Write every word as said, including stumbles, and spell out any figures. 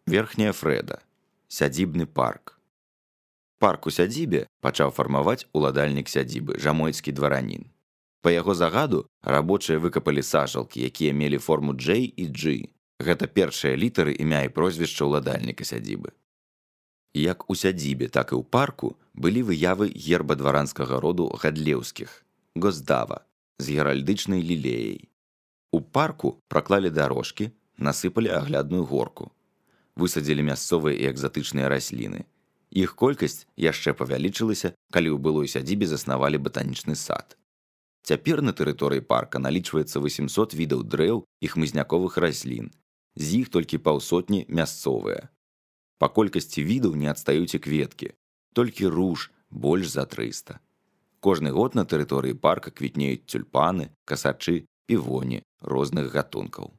Верхняя Фрэда. Сядзібны парк. Парк у сядзібе пачаў фармаваць уладальнік сядзібы, жамойцкі дваранін. Па яго загаду рабочыя выкапалі сажалкі, якія мелі форму J і G. Гэта першыя літары імя і прозвішча ўладальніка сядзібы. Як у сядзібе, так і ў парку былі выявы герба дваранскага роду Гадлеўскіх, Госдава, з геральдычнай лілеяй. У парку праклалі дарожкі, насыпалі аглядную горку. Высадзілі мясцовыя і экзатычныя расліны. Іх колькасць яшчэ павялічылася, калі ў былой сядзібе заснавалі батанічны сад. Цяпер на тэрыторыі парка налічваецца восемьсот відаў дрэў і хмызняковых раслін, з іх толькі паўсотні мясцовыя. Па колькасці відаў не адстаюць і кветкі, толькі руж больш за трыста. Кожны год на тэрыторыі парка квітнеюць тюльпаны, касачы, півоні розных гатункаў.